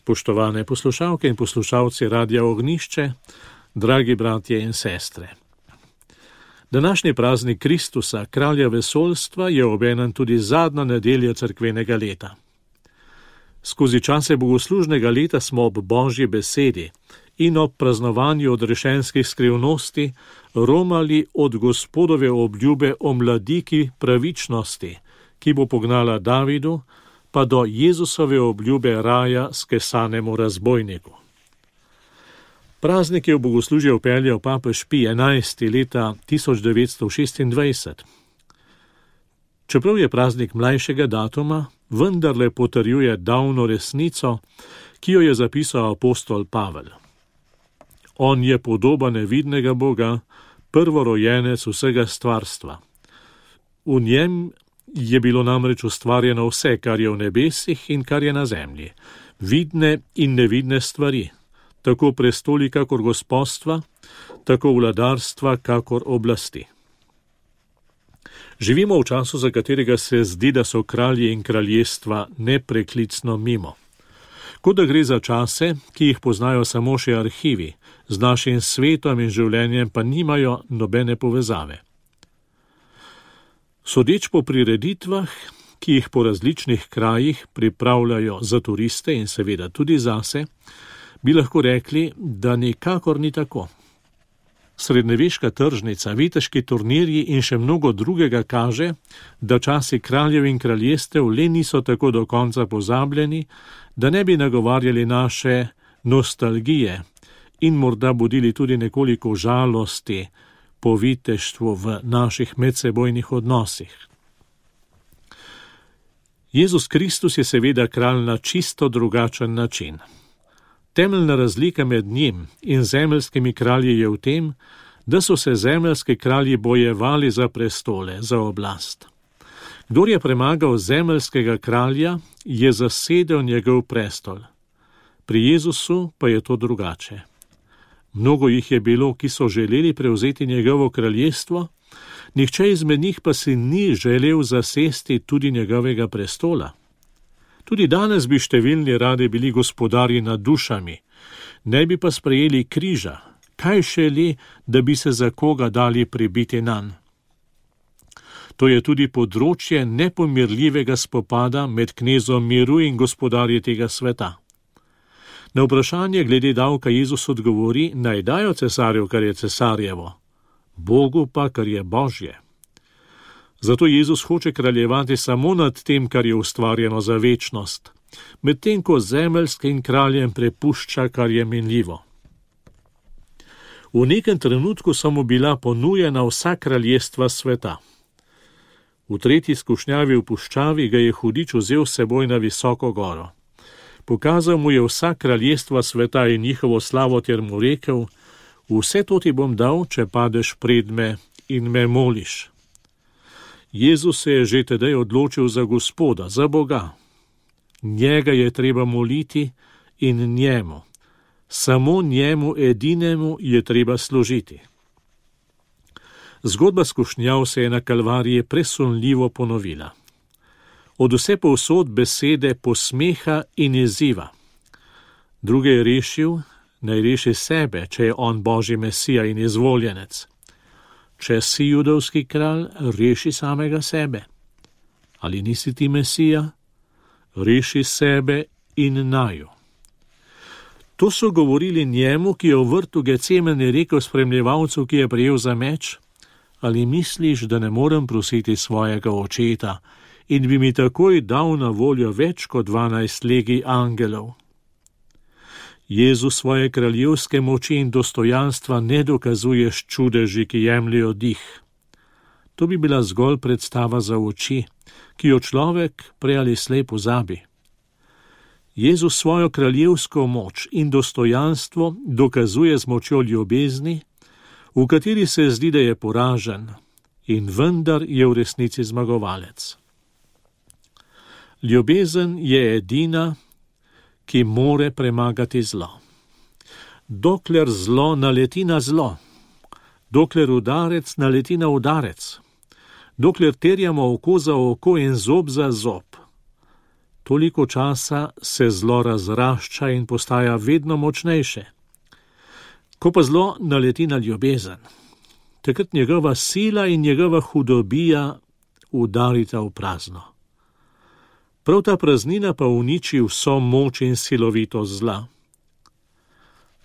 Spoštovane poslušalke in poslušalci Radia Ognjišče, dragi bratje in sestre. Današnji praznik Kristusa, kralja vesoljstva, je obenem tudi zadnja nedelja cerkvenega leta. Skozi čase bogoslužnega leta smo ob Božji besedi in ob praznovanju odrešenskih skrivnosti romali od Gospodove obljube o mladiki pravičnosti, ki bo pognala Davidu, pa do Jezusove obljube raja skesanemu razbojniku. Praznik je v bogoslužje vpeljal papež Pij XI leta 1926. Čeprav je praznik mlajšega datuma, vendarle potrjuje davno resnico, ki jo je zapisal apostol Pavel. On je podoba nevidnega Boga, prvorojenec vsega stvarstva. V njem je bilo namreč ustvarjeno vse, kar je v nebesih in kar je na zemlji, vidne in nevidne stvari, tako prestoli kakor gospodstva, tako vladarstva kakor oblasti. Živimo v času, za katerega se zdi, da so kralji in kraljestva nepreklicno mimo. Kot da gre za čase, ki jih poznajo samo še arhivi, z našim svetom in življenjem pa nimajo nobene povezave. Sodeč po prireditvah, ki jih po različnih krajih pripravljajo za turiste in seveda tudi zase, bi lahko rekli, da nikakor ni tako. Srednjeveška tržnica, viteški turnirji in še mnogo drugega kaže, da časi kraljev in kraljestev le niso tako do konca pozabljeni, da ne bi nagovarjali naše nostalgije in morda budili tudi nekoliko žalosti po viteštvu v naših medsebojnih odnosih. Jezus Kristus je seveda kralj na čisto drugačen način. Temeljna razlika med njim in zemeljskimi kralji je v tem, da so se zemeljski kralji bojevali za prestole, za oblast. Kdor je premagal zemeljskega kralja, je zasedel njegov prestol. Pri Jezusu pa je to drugače. Mnogo jih je bilo, ki so želeli prevzeti njegovo kraljestvo, nihče izmed njih pa si ni želel zasesti tudi njegovega prestola. Tudi danes bi številni radi bili gospodarji nad dušami, ne bi pa sprejeli križa, kaj šele, da bi se za koga dali pribiti nanj. To je tudi področje nepomirljivega spopada med knezom miru in gospodarji tega sveta. Na vprašanje glede davka Jezus odgovori, naj dajo cesarju, kar je cesarjevo, Bogu pa, kar je Božje. Zato Jezus hoče kraljevati samo nad tem, kar je ustvarjeno za večnost, medtem ko zemeljskim kraljem prepušča, kar je minljivo. V nekem trenutku so mu bila ponujena vsa kraljestva sveta. V tretji skušnjavi v puščavi ga je hudič vzel s seboj na visoko goro. Pokazal mu je vsa kraljestva sveta in njihovo slavo ter mu rekel, vse to ti bom dal, če padeš pred me in me moliš. Jezus se je že tedaj odločil za Gospoda, za Boga. Njega je treba moliti in njemu. Samo njemu edinemu je treba služiti. Zgodba skušnjav se je na Kalvariji presunljivo ponovila. Od vse povsod besede posmeha in izziva. Druge je rešil, naj reši sebe, če je on Božji Mesija in izvoljenec. Če si judovski kralj, reši samega sebe. Ali nisi ti Mesija? Reši sebe in naju. To so govorili njemu, ki je v vrtu Gecemani rekel spremljevalcu, ki je prijel za meč, ali misliš, da ne morem prositi svojega očeta in bi mi takoj dal na voljo več kot 12 legij angelov? Jezus svoje kraljevske moči in dostojanstva ne dokazuje s čudeži, ki jemljejo dih. To bi bila zgolj predstava za oči, ki jo človek prej ali slej pozabi. Jezus svojo kraljevsko moč in dostojanstvo dokazuje z močjo ljubezni, v kateri se zdi, da je poražen in vendar je v resnici zmagovalec. Ljubezen je edina, ki more premagati zlo. Dokler zlo naleti na zlo, dokler udarec naleti na udarec, dokler terjamo oko za oko in zob za zob, toliko časa se zlo razrašča in postaja vedno močnejše. Ko pa zlo naleti na ljubezen, takrat njegova sila in njegova hudobija udarita v prazno. Prav ta praznina pa uniči vso moč in silovitost zla.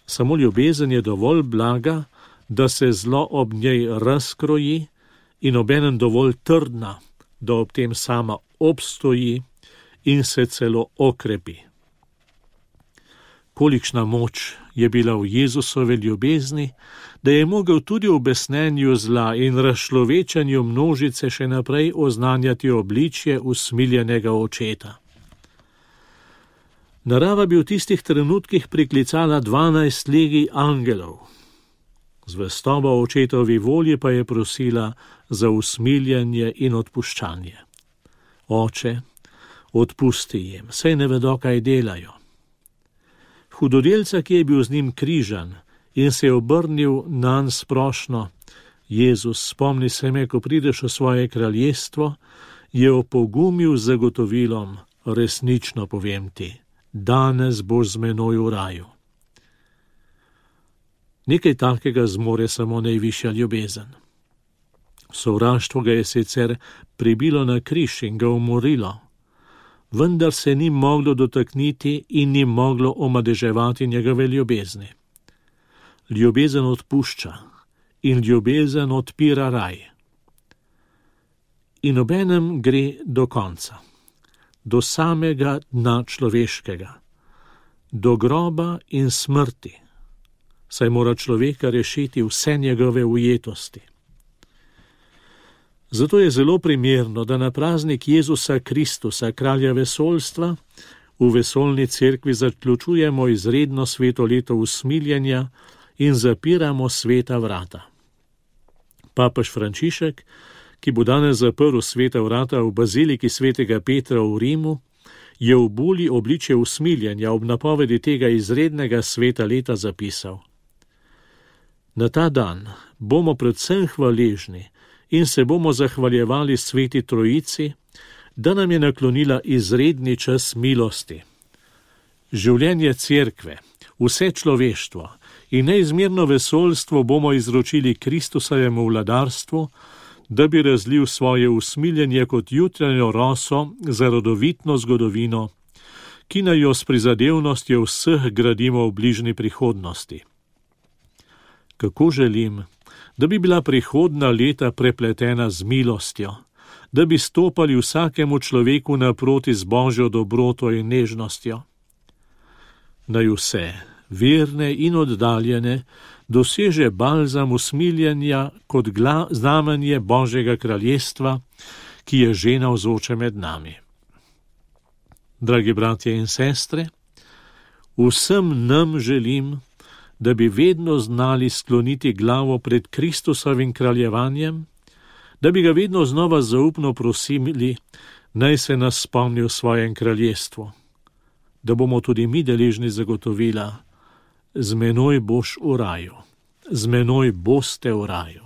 Samo ljubezen je dovolj blaga, da se zlo ob njej razkroji in obenem dovolj trdna, da ob tem sama obstoji in se celo okrepi. Kolikšna moč je bila v Jezusove ljubezni, da je mogel tudi v besnenju zla in razčlovečanju množice še naprej oznanjati obličje usmiljenega očeta. Narava bi v tistih trenutkih priklicala 12 legij angelov. Zvestoba očetovi volji pa je prosila za usmiljanje in odpuščanje. Oče, odpusti jim, saj ne vedo, kaj delajo. Hudodelca, ki je bil z njim križan in se je obrnil nanj s prošnjo: Jezus, spomni se me, ko prideš v svoje kraljestvo, je opogumil z zagotovilom: resnično povem ti, danes boš z menoj v raju. Nekaj takega zmore samo najvišja ljubezen. Sovraštvo ga je sicer pribilo na križ in ga umorilo, vendar se ni moglo dotakniti in ni moglo omadeževati njegove ljubezni. Ljubezen odpušča in ljubezen odpira raj. In obenem gre do konca, do samega dna človeškega, do groba in smrti, saj mora človeka rešiti vse njegove ujetosti. Zato je zelo primerno, da na praznik Jezusa Kristusa, kralja vesoljstva, v vesoljni cerkvi zaključujemo izredno sveto leto usmiljenja in zapiramo sveta vrata. Papež Frančišek, ki bo danes zaprl sveta vrata v baziliki svetega Petra v Rimu, je v buli obličje usmiljenja ob napovedi tega izrednega sveta leta zapisal: Na ta dan bomo predvsem hvaležni in se bomo zahvaljevali sveti Trojici, da nam je naklonila izredni čas milosti. Življenje cerkve, vse človeštvo in neizmerno vesoljstvo bomo izročili Kristusovemu vladarstvu, da bi razlil svoje usmiljenje kot jutranjo roso za rodovitno zgodovino, ki naj jo s prizadevnostjo vseh gradimo v bližnji prihodnosti. Kako želim, da bi bila prihodna leta prepletena z milostjo, da bi stopali vsakemu človeku naproti z Božjo dobroto in nežnostjo. Naj vse, verne in oddaljene, doseže balzam usmiljenja kot znamenje Božjega kraljestva, ki je že navzoče med nami. Dragi bratje in sestre, vsem nam želim, da bi vedno znali skloniti glavo pred Kristusovim kraljevanjem, da bi ga vedno znova zaupno prosili, naj se nas spomni v svojem kraljestvu, da bomo tudi mi deležni zagotovila: z menoj boš v raju, z menoj boste v raju.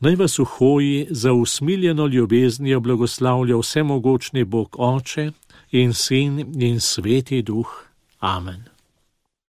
Naj vas v hoji za usmiljeno ljubeznijo blagoslavlja vsemogočni Bog Oče in Sin in Sveti Duh. Amen.